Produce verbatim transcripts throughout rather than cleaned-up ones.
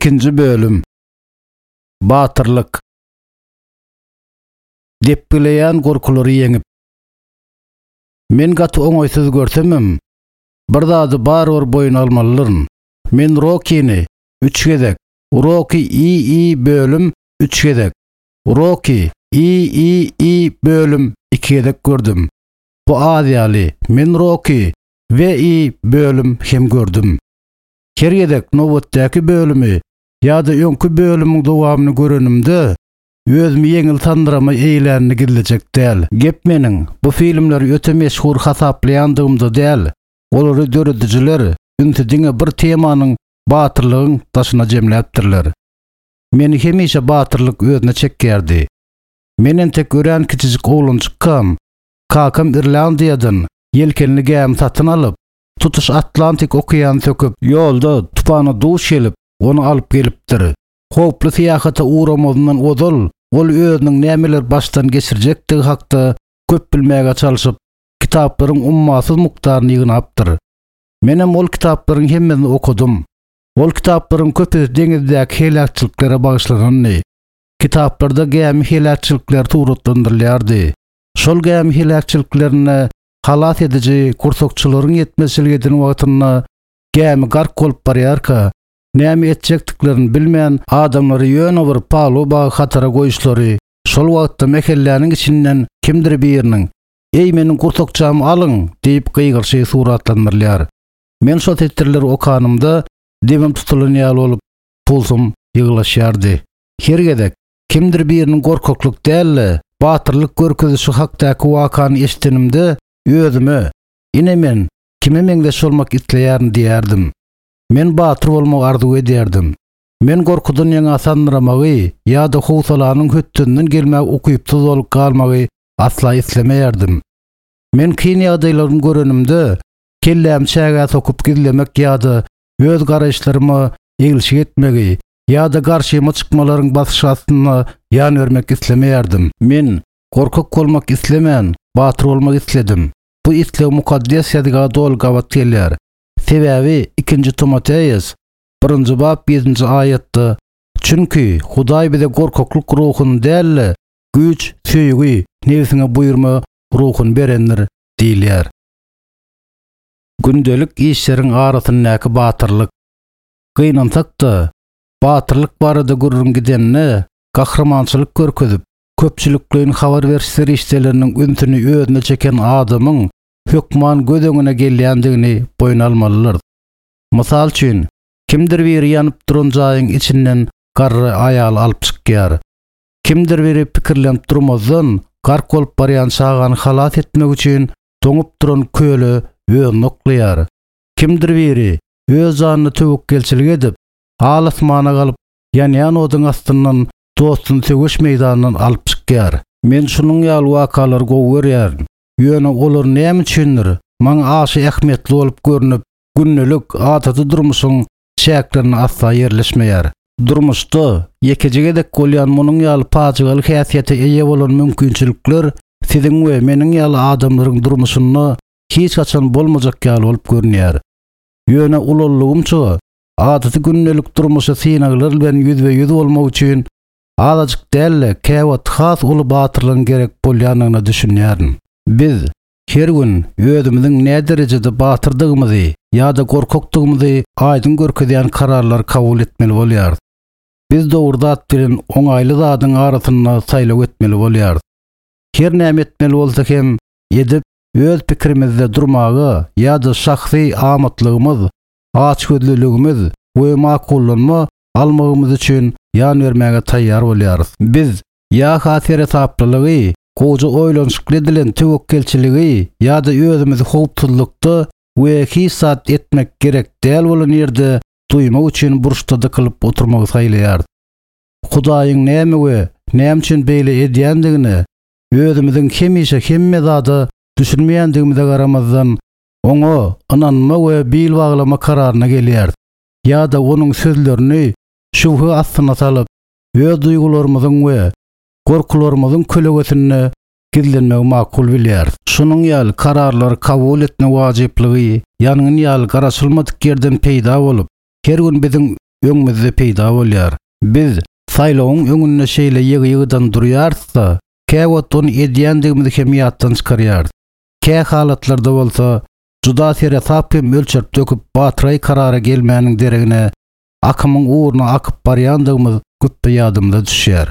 Ikinji bölüm. Batyrlyk. Depgileýän gorkulary ýeňip. Men gaty oňaýsyz görsemem, bir zady barybir boýun almalydyryn. Men Rokini üç gezek, Roki I I bölüm üç gezek, Roki I I I bölüm iki gezek gördüm. Bu az ýaly, men Roki V I bölüm hem gördüm. Her gezek nobatdaky bölümi ýa-da öňki bölümiň dowamyny görenimde özümi ýeňil sandyrama eýlänini gizlejek däl. Gep meniň bu filmleri öte meşhur hasaplaýandygymda däl. Olary döredijiler ünsi diňe bir temanyň batyrlygyň daşyna jemläpdirler. Meni hemişe batyrlyk özüne çekýärdi. Men entek örän kiçijik oglanjykkam, kakam Irlandiýadan ýelkenli gämi satyn alyp, tutuş Atlantik okeany söküp, ýolda tupana duş gelip, ony alyp gelipdir. Howply syýahata uğramazyndan ozal, ol özüniň nämeler başdan geçirjekdigi hakda köp bilmäge çalşyp, kitaplaryň ummasyz mukdaryny ýygnapdyr. Menem ol kitaplaryň hemmesini okudum. Ol kitaplaryň köpüsi deňizdäki heläkçiliklere bagyşlanandy. Kitaplarda gämi heläkçilikleri suratlandyrylýardy. Şol gämi heläkçiliklerine halas ediji kursakçylaryň ýetmezçilik eden wagtynda gämi gark bolup barýarka, näme etjekdiklerini bilmän adamlary ýöne bir paluba hatara goýuşlary, şol wagtda mehelläniň içinden kimdir biriniň "Eý meniň kursakçamy alyň" diýip gygyryşy suratlandyrylýar. Men şol setirleri okanymda demim tutulan ýaly bolup pulsum ýygylaşýardy. Her gezek kimdir biriniň gorkaklyk däl-de, batyrlyk görkezişi hakdaky wakany eşdenimde özüme "Ine men kime meňzeş bolmak isleýärin" diýerdim. Men batyr bolmagy arzuw edýärdim. Men gorkudan ýaňa sandyramagy ýa-da howsalanyň hötdünden gelmäge ukypsyz bolup galmagy asla islemeýärdim. Men kyn ýagdaýlaryny görenimde kelläm çägä sokup gizlemek ýa-da öz garaýyşlaryma eglişik etmegi ýa-da garşyma çykmalaryň basyşy astynda ýan bermek islemeýärdim. Men gorkak bolmak islemän, batyr bolmak isledim. Bu isleg mukaddes ýazga doly gabat gelýär. Sebäbi ikinji Timoteus birinji bap ýedinji aýatda Çünki Hudaý bize gorkaklyk ruhuny däl-de, güýç, söýgi, nebsiňe buýurma ruhuny berendir diýilýär. Gündelik işleriň arasyndaky batyrlyk. Gynansak-da, batyrlyk barada gürrüň gidende gahrymançylyk görkezip, köpçülikleýin habar beriş serişdeleriniň ünsüni özüne çeken adamyň hökman göz öňüne gelýändigini boýun almalydyr. Mysal üçin, kimdir biri ýanyp duran jaýyň içinden garry aýaly alyp çykýar. Kimdir biri pikirlenip durmazdan gark bolup barýan çagany halas etmek üçin doňup duran köle özüni oklaýar. Kimdir biri öz janyna töwekgelçilik edip, al asmana galyp, ýanýan oduň astyndan dostuny söweş meýdanyndan alyp çykýar. Men şunuň ýaly wakalary gowy görýärin. Ýöne olar näme üçindir maňa aşa ähmiýetli bolup görünip, gündelik adaty durmuşyň çäklerine asla ýerleşmeýär. Durmuşda ýekeje gezek bolýan munuň ýaly pajygaly häsiýete eýe bolan mümkinçilikler siziň we meniň ýaly adamlaryň durmuşynda hiç haçan bolmajak ýaly bolup görünýär. Ýöne ulallygymça adaty gündelik durmuşy synaglar bilen ýüzbe-ýüz bolmak üçin azajyk däl-de, käwagt has uly batyrlygyň gerek bolýandygyna düşünýärin. Biz her gün özümiziň nä derejede batyrdygymyzy ýa-da gorkakdygymyzy aýdyň görkezýän kararlary kabul etmeli bolýarys. Biz dogry zat bilen oňaýly zadyň arasynda saýlaw etmeli bolýarys. Her näme etmeli bolsa hem edip öz pikirimizde durmaga ýa-da şahsy amatlygymyz, açgözlüligimiz we makullanma almagymyz üçin ýan bermäge taýýar bolýarys. Biz ýa-ha seresaplylygy, gowja oýlanyşykly edilen töwekgelçiligi ýa-da özümizi howpsuzlykda we hiç zat etmek gerek däl bolan ýerde duýmak üçin burçda dykylyp oturmagy saýlaýarys. Hudaýyň näme we näme üçin beýle edýändigini özümiziň hemişe hemme zada düşünmeýändigimize garamazdan oňa ynanma we bil baglama kararyna gelýäris. Ýa-da onuň sözlerini şübhe astyna salyp, öz duýgularymyzyň we gorkularymyzyň kölegesinde gizlenmegi makul bilýäris. Şunuň ýaly kararlary kabul etme wajyplygy ýangyn ýaly garaşylmadyk ýerden peýda bolup, her gün biziň öňümizde peýda bolýar. Biz saýlawyň öňünde şeýle ýygy-ýygydan durýarys-da, käwagt ony edýändigimizi hem ýatdan çykarýarys. Kä halatlarda bolsa juda seresap hem ölçerip döküp batyraý karara gelmäniň deregine akymyň ugruna akyp barýandygymyz güpbe ýadymyza düşýär.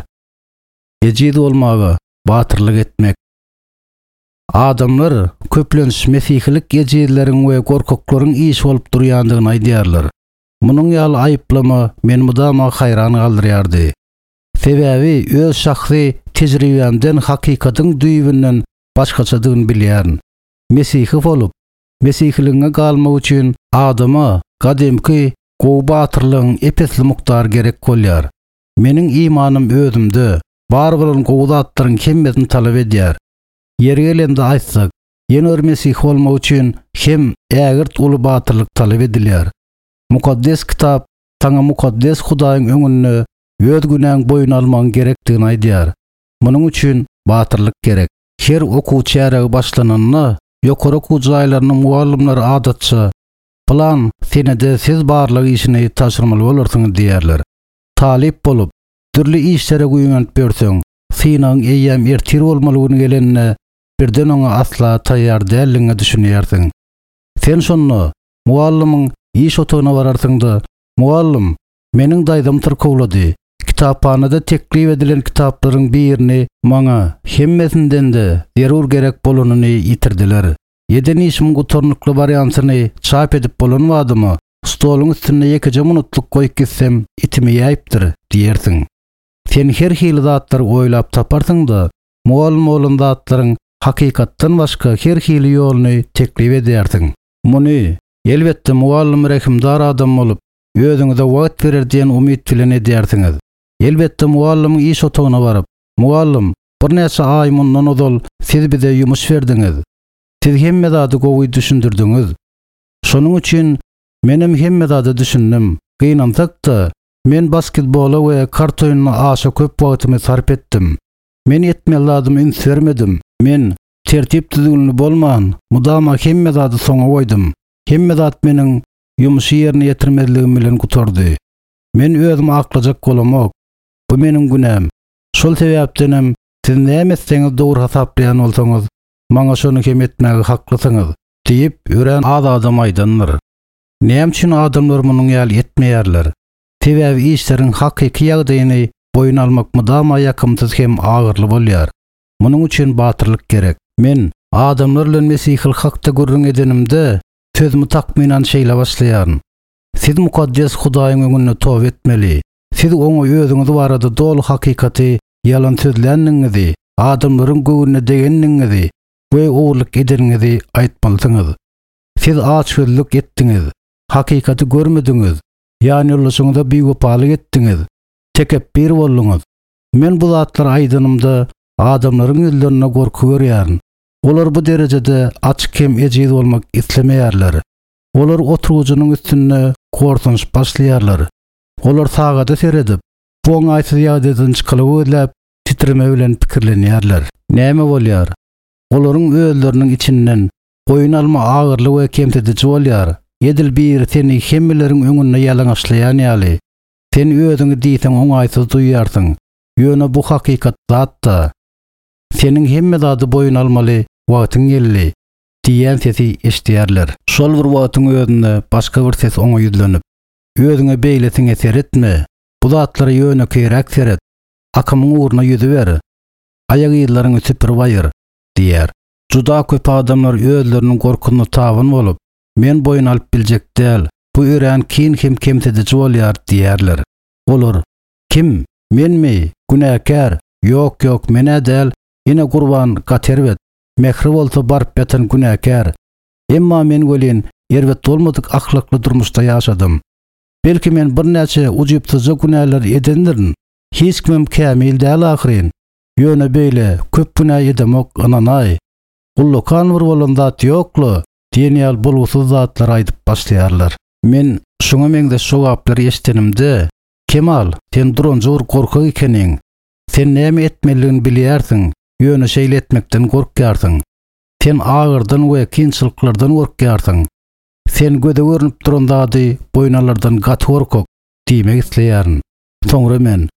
Ejiz bolmaga batyrlyk etmek. Adamlar köplenç mesihilik ejizleriň we gorkaklaryň işi bolup durýandygyny aýdýarlar. Munuň ýaly aýyplama meni mydama haýran galdyrýardy. Sebäbi öz şahsy tejribämden hakykatyň düýbünden başgaçadygyny bilýärin. Mesihi bolup, mesihiligiňe galmak üçin adama gadymky gowy batyrlygyň epesli mukdary gerek bolýar. Meniň imanym özümde bar bolan gowy zatlaryň hemmesini talap edýär. Ýeri gelende aýtsak, ýene bir mesih bolmak üçin hem ägirt uly batyrlyk talap edilýär. Mukaddes kitap saňa mukaddes Hudaýyň öňünde öz günäň boýun almagyň gerekdigini aýdýar. Munuň üçin batyrlyk gerek. Her okuw çäregi başlananda ýokary okuw jaýlarynyň mugallymlary adatça plan senede siz barlyk işini taşyrmaly bolarsyňyz diýerler. Talyp bolup, dürli işlere güýmenip berseň, synagyň eýýäm ertir bolmaly gün gelenine birden oňa asla taýýar dälligiňe düşünýärsiň. Sen şonda mugallymyň iş otagyna bararsyň-da, mugallym, meniň daýzam tyrkawlady. Kitaphanada teklip edilen kitaplaryň birini maňa hemmesinden-de zerur gerek bolanyny ýitirdiler. Eden işimiň gutarnykly wariantyny çap edip bolan wadyma stoluň üstünde ýekeje minutlyk goýup gitsem itimi ýaýypdyr diýersiň. Sen her hili zatlary oýlap taparsyň-da, mugallym bolan zatlaryň hakykatdan başga her hili ýoluny teklip edýärsiň. Muny elbetde mugallym rehimdar adam bolup, özüňize wagt berer diýen umyt bilen edýärsiňiz. Elbetde mugallymyň iş otagyna baryp, mugallym, birnäçe aý mundan ozal siz bize ýumuş berdiňiz. Siz hemme zady gowy düşündirdiňiz. Şonuň üçin menem hemme zady düşündim. Gynansak-da, men basketbola we kart oýnuna aşa köp wagtymy sarp etdim. Men etmeli zadymy üns bermedim. Men tertip düzgünli bolman, mudama hemme zady soňa goýdum. Hemme zat meniň ýumuşy ýerine ýetirmezligim bilen gutardy. Men özümi aklajak bolamok. Bu meniň günäm. Şol sebäpdenem siz näme etseňiz dogry hasaplaýan bolsaňyz, maňa şony hem etmäge haklysyňyz diýip, örän az adam aýdandyr. Näme üçin adamlar munuň ýaly etmeýärler? Sebäbi işleriň hakyky ýagdaýyny boýun almak mydama ýakymsyz hem agyrly bolýar. Munuň üçin batyrlyk gerek. Men adamlar bilen mesihil hakda gürrüň edenimde sözümi takmynan şeýle başlaýaryn. Siz mukaddes Hudaýyň öňünde toba etmeli. Siz oňa özüňiz barada doly hakykaty ýalan sözländigiňizi, adamlaryň göwnüne degendigiňizi we ogurlyk edeniňizi aýtmalysyňyz. Siz açgözlük etdiňiz, hakykaty görmediňiz, ýan ýoldaşyňyza biwepalyk etdiňiz, tekepbir bolduňyz. Men bu zatlary aýdanymda adamlaryň ýüzlerinde gorky görýärin. Olar bu derejede açyk hem ejiz bolmak islemeýärler. Olar oturgyjynyň üstünde gorsanyşyp başlaýarlar. Olar sagada seredip, bu oňaýsyz ýagdaýdan çykalygy gözläp, titreme bilen pikirlenýärler. Näme bolýar? Olaryň özleriniň içinden goýun alma agyrly we kemsidiji bolýar. Edil biri seni hemmeleriň öňünde ýalaňaçlaýan ýaly. Sen özüňi diýseň oňaýsyz duýarsyň. Ýöne bu hakykat zat-da. Seniň hemme zady boýun almaly wagtyň geldi diýen sesi eşidýärler. Şol bir wagtyň özünde başga bir ses oňa ýüzlenip, özüňe beýlesiňe seretme, bu zatlara ýönekeýräk seret, akymyň ugruna ýüzüber, aýak yzlaryňy süpürip aýyr diýär. Juda köp adamlar özleriniň gorkusyna tabyn bolup, men boýun alyp biljek däl, bu örän kyn hem kemsidiji bolýar diýerler. Olar, kim, menmi, günäkär, ýok ýok, menä däl, ene gurban gaty erbet, mehri bolsa baryp ýatan günäkär. Emma men welin erbet bolmadyk ahlakly durmuşda ýaşadym. Belki men birnäçe ujypsyzja günäler edendirin. Hiç kimem kämil däl ahyryn. Ýöne beýle köp günä edemok ynanaý. Ullakan bir bolan zat ýokla diýen ýaly bolgusyz zatlar aýdyp başlaýarlar. Men şoňa meňzeş jogaplary eşdenimde, Kemal, sen duranjy bir gorkak ekeniň. Sen näme etmelidigini bilýärsiň, ýöne şeýle etmekden gorkýarsyň. Sen agyrdan we kynçylyklardan gorkýarsyň. Sen göze görünüp duran zady boýun alardan gaty gorkak diýmek isleýärin. Soňra men,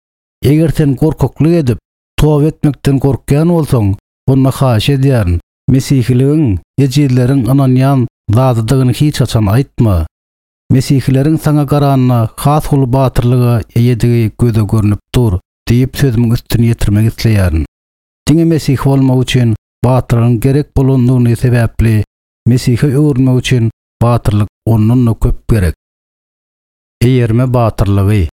eger sen gorkaklyk edip, toba etmekden gorkýan bolsaň, onda haýyş edýärin. Mesihiligiň ejizleriň ynanýan zadydygyny hiç haçan aýtma. Mesihileriň saňa garanda has uly batyrlyga eýedigi göze görnüp dur diýip sözümiň üstüni ýetirmek isleýärin. Diňe Mesih bolmak üçin batyrlygyň gerek bolandygyny sebäpli Mesihe öwrülmek üçin batyrlyk ondan da köp gerek. Eýerme batyrlygy.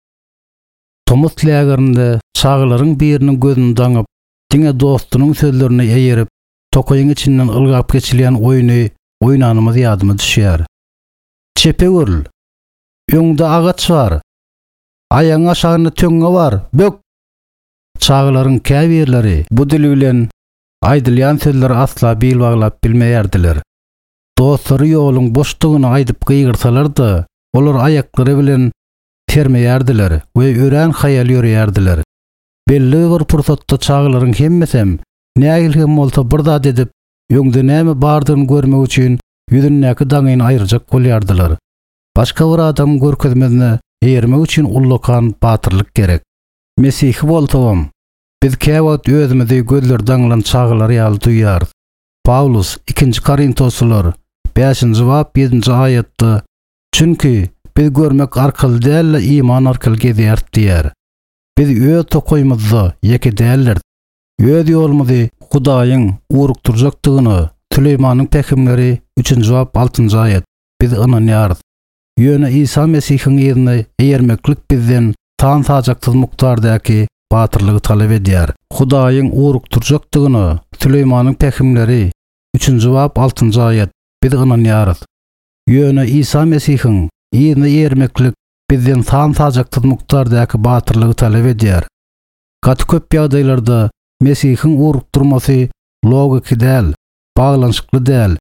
Tomus lägerinde çagalaryň biriniň gözüni daňyp, diňe dostunyň sözlerini eýerip, tokaýyň içinden ylgap geçilýän oýny oýnanymyz ýadyma düşýär. Çepe görül. Öňde agaç bar. Aýagyň aşagynda töňňe bar. Bök. Çagalaryň käbirleri bu dil bilen aýdylýan sözleri asla bil baglap bilmeýärdiler. Dostlary ýoluň boşdugyny aýdyp gygyrsalar-da, olar aýaklary bilen termeýärdiler we örän haýal ýörýärdiler. Belli bir pursatda çagalaryň hemmesem nähili hem bolsa bir zat edip, öňde näme bardygyny görmek üçin ýüzündäki daňyny aýyrjak bolýardylar. Başga bir adamyň görkezmesine eýermek üçin ullakan batyrlyk gerek. Mesihi bolsagam, biz käwagt özümizi gözleri daňylan çagalar ýaly duýýarys. Paulus ikinji Korintoslylar bäşinji bap ýedinji aýatda Çünki biz görmek arkaly däl-de iman arkaly gezýäris diýär. Biz öz tokaýymyzda ýeke däldir. Öz ýolumyzy Hudaýyň ugrukdyrjakdygyna Süleýmanyň pähimleri üçünji bap altynjy aýat biz ynanýarys. Ýöne Isa Mesihiň ýerine eýermeklik bizden san sajaksyz mukdardaky batyrlygy talap edýär. Hudaýyň ugrukdyrjakdygyna Süleýmanyň pähimleri üçünji bap altynjy aýat biz ynanýarys. Ýöne Isa Mesihiň ýerine eýermeklik bizden san sajaksyz mukdardaky batyrlygy talap edýär. Gaty köp ýagdaýlarda Mesihiň ugrukdyrmasy logiki däl, baglanyşykly däl,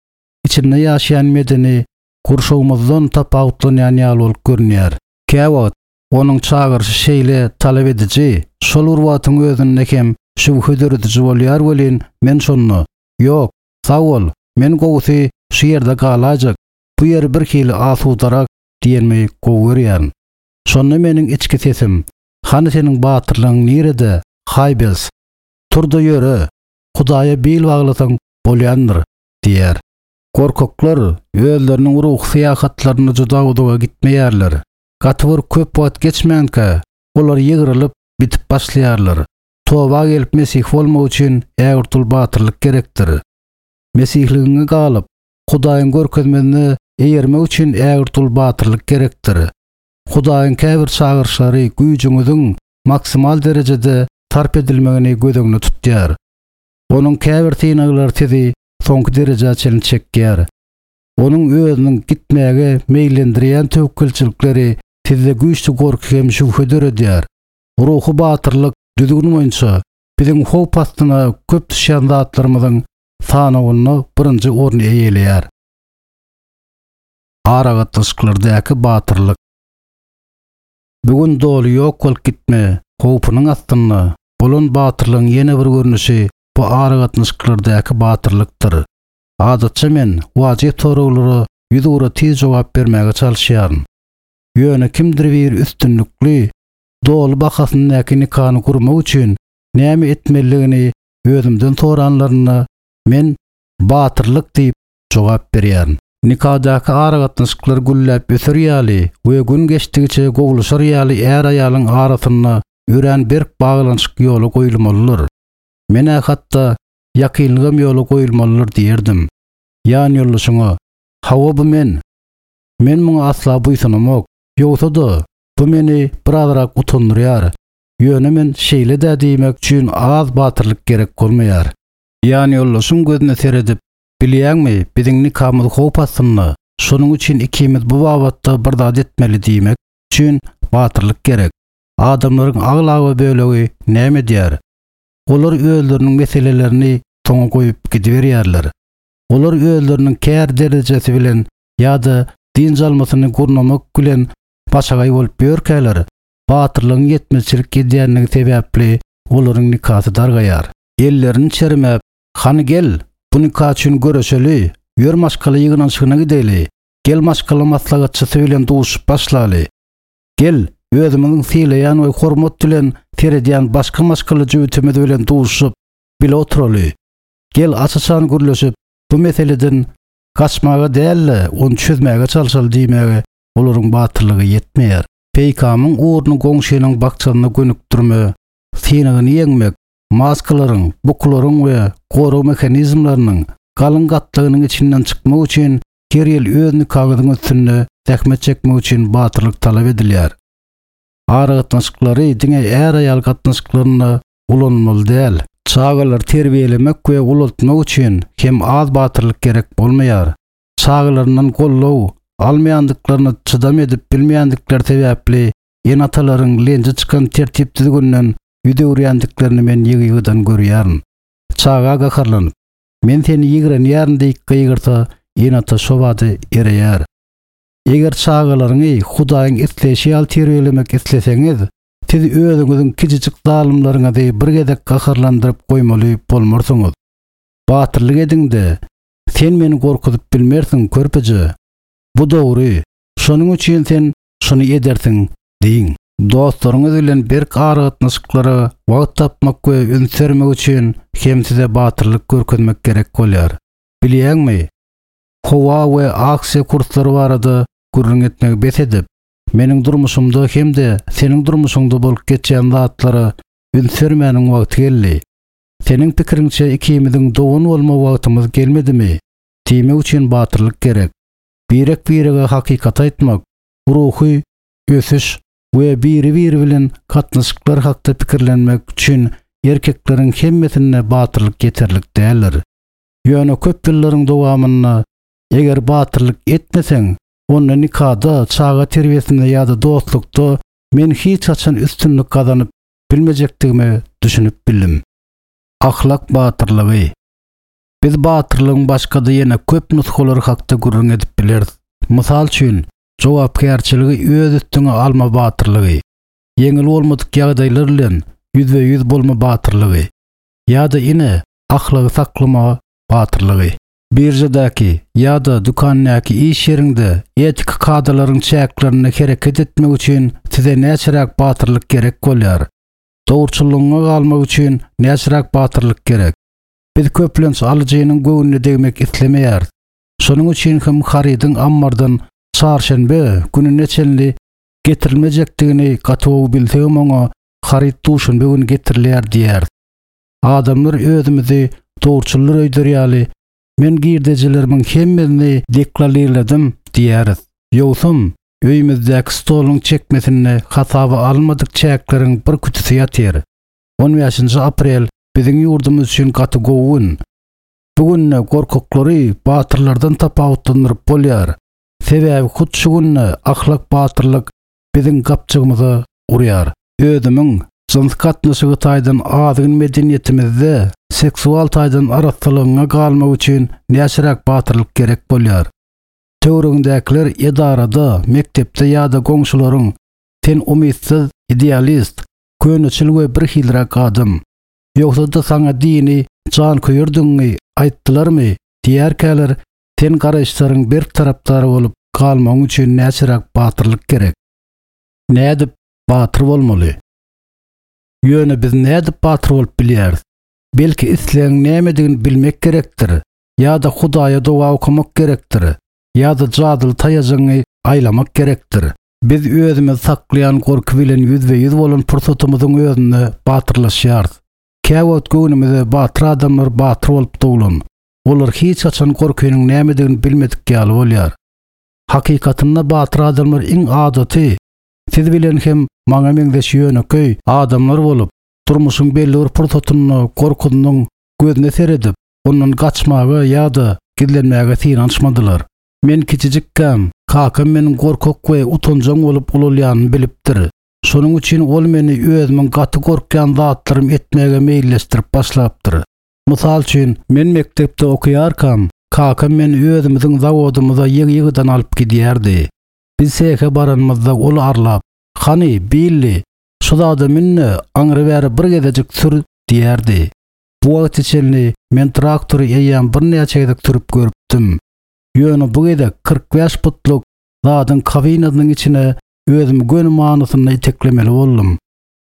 içinde ýaşaýan medeni gurşawymyzdan tapawutlanýan ýaly bolup görünýär. Käwagt onuň çagyryşy şeýle talap ediji, şol bir wagtyň özünde hem şübhe dörediji bolýar welin, men şonda, ýok, sag bol, men gowusy şu ýerde galaýjak, bu ýeri bir hili asudarak diýenmi gowy görýärin. Şonda meniň içki sesim, hany seniň batyrlygyň nirede, Haýbels, tur-da ýöre, Hudaýa bil baglasaň bolýandyr, diýär. Gorkaklar özleriniň ruhy syýahatlaryna juda uzaga gitmeýärler. Gaty bir köp wagt geçmänkä, olar ýygrylyp bitip başlaýarlar. Toba gelip Mesih bolmak üçin ägirt uly batyrlyk gerekdir. Mesihligiňe galyp, Hudaýyň görkezmesine eýermek üçin ägirt uly batyrlyk gerekdir. Hudaýyň käbir çagyryşlary güýjüňiziň maksimal derejede sarp edilmegini göz öňünde tutýar. Onuň käbir synaglary sizi soňky derejä çenli çekýär. Onuň özüniň gitmäge meýillendirýän töwekgelçilikleri sizde güýçli gorky hem şübhe döredýär. Ruhy batyrlyk düzgün boýunça biziň howp astyna köp düşýän zatlarymyzyň sanawynda birinji orny eýeleýär. Aragatnaşyklardaky batyrlyk. Bugün doly ýok bolup gitme howpunyň astynda bolan batyrlygyň ýene bir görnüşi bu aragatnaşyklardaky batyrlykdyr. Adatça men wajyp soraglara ýüz ugra tiz jogap bermäge çalyşýaryn. Ýöne kimdir bir üstünlikli doly bahasyndaky nikany gurmak üçin näme etmelidigini özümden soranlarynda men batyrlyk diýip jogap berýärin. Nikadaky aragatnaşyklar gülläp öser ýaly we gün geçdigiçe gowulaşar ýaly är-aýalyň arasynda örän berk baglanyşyk ýola goýulmalydyr. Men hatda ýakynlygam ýola goýulmalydyr diýerdim. Ýan ýoldaşyňa, hawa bu men. Men muňa asla buýsanamok. Ýogsa-da bu meni birazrak utandyrýar. Ýöne men şeýle-de diýmek üçin az batyrlyk gerek bolmaýar. Ýan ýoldaşyň gözüne seredip, bilýäňmi, biziň nikamyz howp astynda. Şonuň üçin ikimiz bu babatda bir zat etmeli diýmek üçin batyrlyk gerek. Adamlaryň aglaba bölegi näme edýär? Olar özleriniň meselelerini soňa goýup gidiberýärler. Olar özleriniň kär derejesi bilen ýa-da dynç almasyny gurnamak bilen başagaý bolup ýörkäler, batyrlygyň ýetmezçilik edýänligi sebäpli olaryň nikasy dargaýar. Ellerini çermäp, hany gel, bu nika üçin göreşeli, ýör maşgala ýygnanyşygyna gideli, gel maşgala maslahatçysy bilen duşup başlaly. Gel, Özümiziň sylaýan we hormat bilen seredýän başga maşgala jübütimiz bilen duşup, bile oturaly. Gel aç-açan gürleşip, bu meseleden gaçmaga däl-de, ony çözmäge çalşaly diýmäge olaryň batyrlygy ýetmeýär. Peýkamyň ugruny goňşynyň bakjasyna gönükdirme, synagyny ýeňmek, maskalaryň, bukularyň we gorag mehanizmleriniň galyň gatlagynyň içinden çykmak üçin her ýyl öz nikaňyzyň üstünde zähmet çekmek üçin batyrlyk talap edilýär. Aragatnaşyklary diňe är-aýal gatnaşyklarynda ulanmaly däl. Çagalary terbiýelemek we ulaltmak üçin hem az batyrlyk gerek bolmaýar. Çagalaryndan goldaw almaýandyklaryna çydam edip bilmeýändikleri sebäpli ene-atalaryň lenji çykan tertip düzgünden ýüz öwürýändiklerini men ýygy-ýygydan görýärin. Çaga gaharlanyp, men seni ýigrenýärin diýip gygyrsa, ene-ata şo bady ereýär. Eger çagalaryňy Hudaýyň isleýşi ýaly terbiýelemek isleseňiz, siz özüňiziň kiçijik zalymlaryňyzy bir gezek gaharlandyryp goýmaly bolmarsyňyz. Batyrlyk ediň-de, sen meni gorkuzyp bilmersiň körpeje. Bu dogry. Şonuň üçin sen şuny edersiň diýiň. Dostlaryňyz bilen berk aragatnaşyklara wagt tapmak we üns bermek üçin hem size batyrlyk görkezmek gerek bolýar. Bilýäňmi? Howa we aksiýa kurslary barada gürrüň etmegi bes edip, meniň durmuşymda hem-de seniň durmuşyňda bolup geçýän zatlara üns bermäniň wagty geldi. Seniň pikiriňçe ikimiziň dogan bolma wagtymyz gelmedimi? Diýmek üçin batyrlyk gerek. Birek-birege hakykat aýtmak, ruhy ösüş we biri-biri bilen gatnaşyklar hakda pikirlenmek üçin erkekleriň hemmesinde batyrlyk ýeterlik däldir. Ýöne köp ýyllaryň dowamynda eger batyrlyk etmeseň, onda nikada, çaga terbiýesinde ýa-da dostlukda men hiç haçan üstünlik gazanyp bilmejekdigime düşünip bildim. Ahlak batyrlygy. Biz batyrlygyň başga-da ýene köp nusgalary hakda gürrüň edip bileris. Mysal üçin, jogapkärçiligi öz üstüňe alma batyrlygy, ýeňil bolmadyk ýagdaýlar bilen ýüzbe-ýüz bolma batyrlygy ýa-da ine ahlagy saklama batyrlygy. Birjadäki ýa-da dükandäki iş ýeriňde etik kadalaryň çäklerinde hereket etmek üçin size näçeräk batyrlyk gerek bolýar? Dogruçyllygyňa galmak üçin näçeräk batyrlyk gerek? Biz köplenç alyjynyň göwnüne degmek islemeýäris. Şonuň üçin hem harydyň ammardan çarşenbe gününe çenli getirilmejekdigini gaty gowy bilsegem oňa haryt duşenbe güni getirilýär diýýäris. Adamlar özümizi dogruçyllar öýder ýaly men girdejilerimiň hemmesini deklarladım diýýäris. Ýogsam öýümizdäki stoluň çekmesinde hasaba almadyk çäkleriň bir kütüsi ýatyr. on bäşinji aprel biziň ýurdumyz üçin gaty gowy gün. Bu günde gorkuklary batyrlardan tapawutlandyryp bolýar. Sebäbi hut şu günde ahlak batyrlyk biziň gapjygymyza urýar. Özümiň jyns gatnaşygy taýdan azgyn medeniýetimizde seksual taýdan arassalygyňa galmak üçin näçeräk batyrlyk gerek bolýar. Töweregindäkiler edarada, mekdepde ýa-da goňşularyň sen umytsyz, idealist, köneçil we bir hilräk adam. Ýogsa-da saňa dini janköýerdigiňi aýtdylarmy diýerkäler, sen garaýyşlaryň berk tarapdary bolup galmagyň üçin näçeräk batyrlyk gerek. Nädip batyr bolmaly? Ýöne biz nädip batyr bolup bilýäris? Belki islegiň nämedigini bilmek gerekdir, ýa-da Hudaýa doga okamak gerekdir, ýa-da jadyly taýajygyňy aýlamak gerekdir. Biz özümizi saklaýan gorky bilen ýüzbe-ýüz bolan pursatymyzyň özünde batyrlaşýarys. Käwagt göwnümize batyr adamlar batyr bolup doglan. Olar hiç haçan gorkynyň nämedigini bilmedik ýaly bolýar. Hakykatynda batyr adamlar iň adaty, siz bilen hem maňa meňzeş ýönekeý adamlar bolup, durmuşyň belli bir pursatynda gorkunyň gözüne seredip, ondan gaçmaga ýa-da gizlenmäge synanyşmadylar. Men kiçijikkäm, kakam meniň gorkak we utanjaň bolup ulalýanymy bilipdir. Şonuň üçin ol meni özümiň gaty gorkýan zatlarym etmäge meýilleşdirip başlapdyr. Mysal üçin, men mekdepde okaýarkam, kakam meni özümiziň zawodymyza ýygy-ýygydan alyp gidýärdi. Biz sehe baranymyzda ol arlap, "Hany, Billi, şu zada münne, aňry bäri bir gezejik sür" diýerdi. Bu wagt çenli men traktory eýýäm birnäçe gezek sürüp görüpdim. Ýöne bu gezek kyrk bäş putluk zadyň kabinasynyň içine özümi göni manysynda iteklemeli boldum.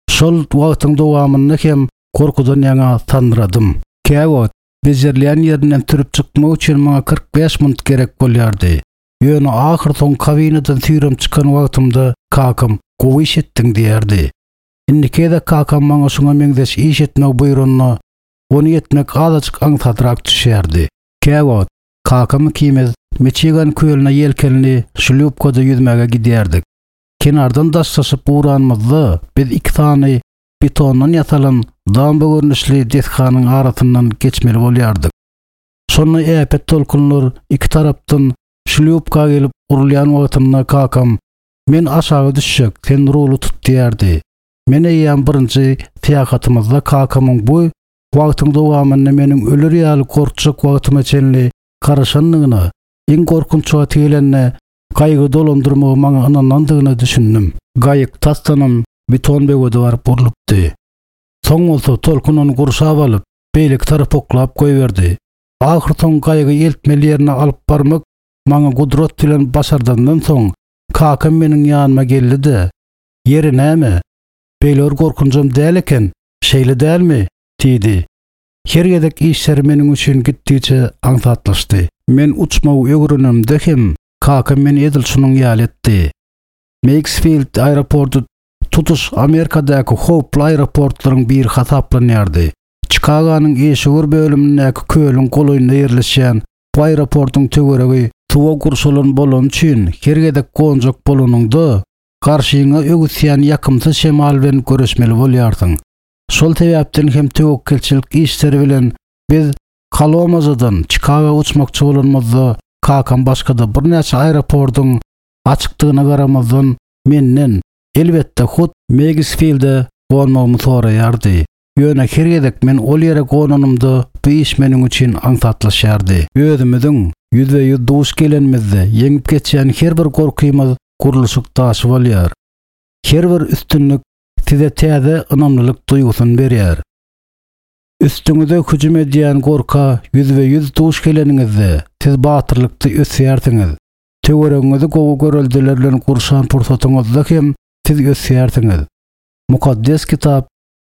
Şol wagtyň dowamynda hem gorkudan ýaňa sandyradym. Käwagt bejerilýän ýerinden sürüp çykmak üçin maňa kyrk bäş minut gerek bolýardy. Ýöne ahyr soň kabinadan süýrem çykan wagtymda kakam gowy iş etdiň diýerdi. Indiki gezek kakam maňa şuňa meňzeş iş etmek buýranda ony etmek azajyk aňsadrak düşýärdi. Käwagt kakam ikimiz Michigan kölüne ýelkenli şlýupkada ýüzmäge gidýärdik. Kenardan daşlaşyp uranymyzda biz iki sany betondan ýasalan damba görnüşli desganyň arasyndan geçmeli bolýardyk. Şonda äpet tolkunlar iki tarapdan şlýupka gelip urulýan wagtynda kakam men aşağı düşjek, sen ruly tut diýerdi. Men eýýäm birinji syýahatymyzda kakamyň bu wagtyň dowamynda meniň ölür ýaly gorkjak wagtyma çenli garaşandygyna, iň gorkunç wagty gelende gaýgy dolandyrmagy maňa ynanandygyna düşündim. Gaýyk tasdanam beton böwede baryp urlupdy. Soň bolsa tolkun ony gurşap alyp, beýleki tarapa oklap goýberdi. Ahyr soň gaýygy eltmeli ýerine alyp barmak maňa gudrat bilen başardandan soň kakam meniň ýanyma geldi-de, ýeri näme? Beýle bir gorkunjam däl eken, şeýle dälmi? Diýdi. Her gezek işleri meniň üçin gitdiçe aňsatlaşdy. Men uçmagy öwrenimde hem kakam meni edil şunuň ýaly etdi. Meigsfield aeroporty tutuş Amerikadaky howply aeroportlaryň biri hasaplanýardy. Çikagonyň Eşigur bölümindäki kölüň golaýynda ýerleşýän bu aeroportuň töweregi suwa gurşalan bolany üçin her gezek gonjak bolanyňda garşyňa öwüsýän ýakymsyz şemal bilen görüşmeli bolýarsyň. Şol sebäpden hem töwekgelçilik işleri bilen biz Kalomazadan Çikago uçmakçy bolanymyzda kakam başga-da birnäçe aeroportuň açykdygyna garamazdan menden elbetde hut Meigsfield'e gonmagymy soraýardy. Ýöne her gezek men ol ýere gonanymda bu iş meniň üçin aňsatlaşýardy. Özümiziň ýüzbe-ýüz duş gelenimizde ýeňip geçýän her bir gorkymyz gurluşyk daşy bolýar. Her bir üstünlik size täze ynamlylyk duýgusyny berýär. Üstüňize hüjüm edýän gorka ýüzbe-ýüz duş geleniňizde siz batyrlykda ösýärsiňiz. Töweregiňizi gowy göreldeler bilen gurşan pursatyňyzda hem siz ösýärsiňiz. Mukaddes kitap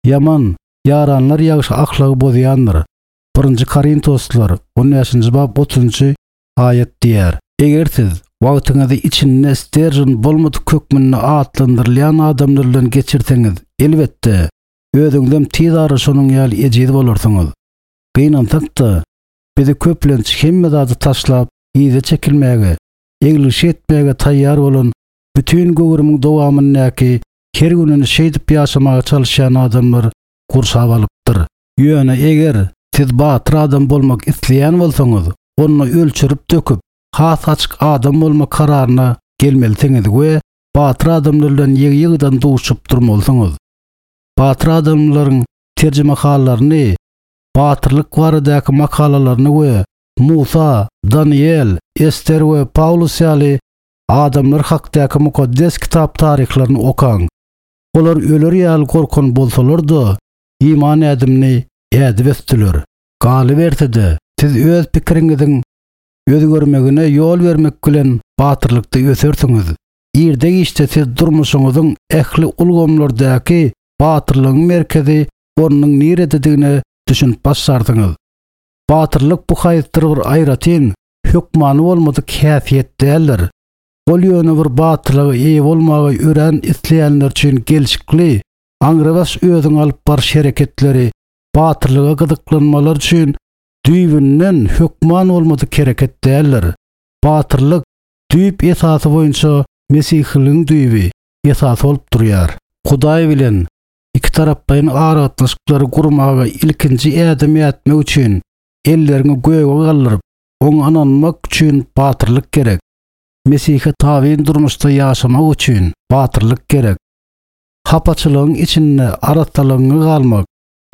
ýaman ýaranlar ýagşy ahlagy bozýandyr. Birinji Korintoslar on bäşinji bap otuzynjy aýat diýär. Eger siz wagtyňyzy içinde sterjin bolmadyk hökmünde atlandyrylýan adamlar bilen geçirseňiz, elbetde özüňizem tiz ara şonuň ýaly ejiz bolarsyňyz. Gynansak-da, bizi köplenç hemme zady taşlap, yza çekilmäge, eglişik etmäge taýýar bolan bütün göwrümiň dowamyndaky her gününi şeýdip ýaşamaga çalışýan adamlar gurşap alypdyr. Ýöne eger siz batyr adam bolmak isleýän bolsaňyz, ony ölçürip döküp, has açyk adam bolmak kararyna gelmelisiňiz we batyr adamlar bilen ýygy-ýygydan duşup durmalysyňyz. Batyr adamlaryň terjimehallaryny, batyrlyk baradaky makalalaryny we Musa, Daniel, Ester we Paulus ýaly adamlar hakdaky mukaddes kitap taryhlaryny okaň. Olar öler ýaly gorkan bolsalar-da, iman ädimini ädip ösdüler. Galyberse-de, siz öz pikiriňiziň özgermegine ýol bermek bilen batyrlykda ösersiňiz. Irde giçde siz durmuşyňyzyň ähli ulgamlardaky batyrlygyň merkezi ornunyň nirededigine düşünip başlarsyňyz. Batyrlyk bu haýsydyr bir aýratyn, hökmany bolmadyk häsiýet däldir. Ol ýöne bir batyrlyga eýe bolmagy öwren isleýänler üçin gelşikli, aňrybaş özüň alyp baryş hereketleri, batyrlyga gyzyklanmalar üçin düýbünden hökman bolmadyk hereket däldir. Batyrlyk düýp esasy boýunça mesihiligiň düýbi esasy bolup durýar. Hudaý bilen iki taraplaýyn aragatnaşyklary gurmaga ilkinji ädim ätmek üçin elleriňi göge galdyryp, oňa ynanmak üçin batyrlyk gerek. Mesihe tabyn durmuşda ýaşamak üçin batyrlyk gerek. Hapaçylygyň içinde arassalygyňy galmak,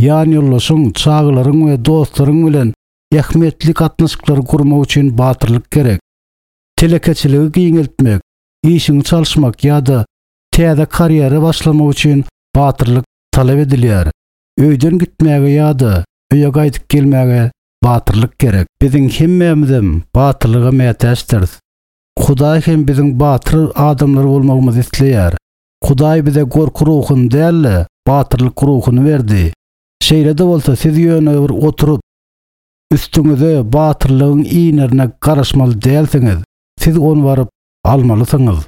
ýan ýoldaşyň, çagalaryň we dostlaryň bilen ähmiýetli gatnaşyklary gurmak üçin batyrlyk gerek. Telekeçiligi giňeltmek, işiňi çalyşmak ýa-da täze karýera başlamak üçin batyrlyk talap edilýär. Öýden gitmäge ýa-da öýe gaýdyp gelmäge batyrlyk gerek. Biziň hemmämizem batyrlyga mätäçdiris. Hudaý hem biziň batyr adamlar bolmagymyzy isleýär. Hudaý bize gorky ruhuny däl-de, batyrlyk ruhuny berdi. Şeýle-de bolsa siz ýöne bir oturyp, üstüňize batyrlygyň inerine garaşmaly dälsiňiz. Siz ony baryp almalysyňyz.